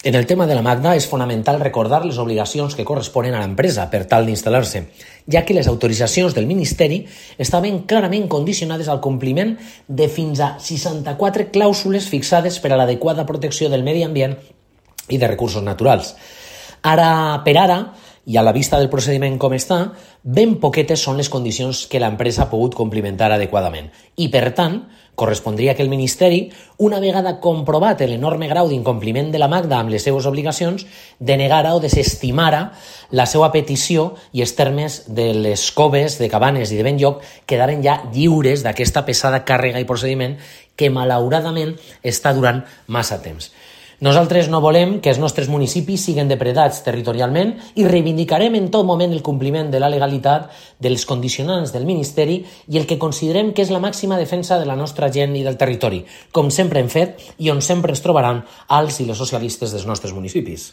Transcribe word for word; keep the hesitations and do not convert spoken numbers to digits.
En el tema de la Magda és fonamental recordar les obligacions que corresponen a l'empresa per tal d'instal·lar-se, ja que les autoritzacions del Ministeri estaven clarament condicionades al compliment de fins a seixanta-quatre clàusules fixades per a l'adequada protecció del medi ambient i de recursos naturals. Ara per ara, i a la vista del procediment com està, ben poquetes són les condicions que l'empresa ha pogut complimentar adequadament. I, per tant, correspondria que el Ministeri, una vegada comprovat l'enorme grau d'incompliment de la Magda amb les seues obligacions, denegara o desestimara la seva petició i els termes de les coves, de Cabanes i de Benlloc quedaren ja lliures d'aquesta pesada càrrega i procediment que, malauradament, està durant massa temps. Nosaltres no volem que els nostres municipis siguin depredats territorialment i reivindicarem en tot moment el compliment de la legalitat, dels condicionants del Ministeri i el que considerem que és la màxima defensa de la nostra gent i del territori, com sempre hem fet i on sempre ens trobaran els i les socialistes dels nostres municipis.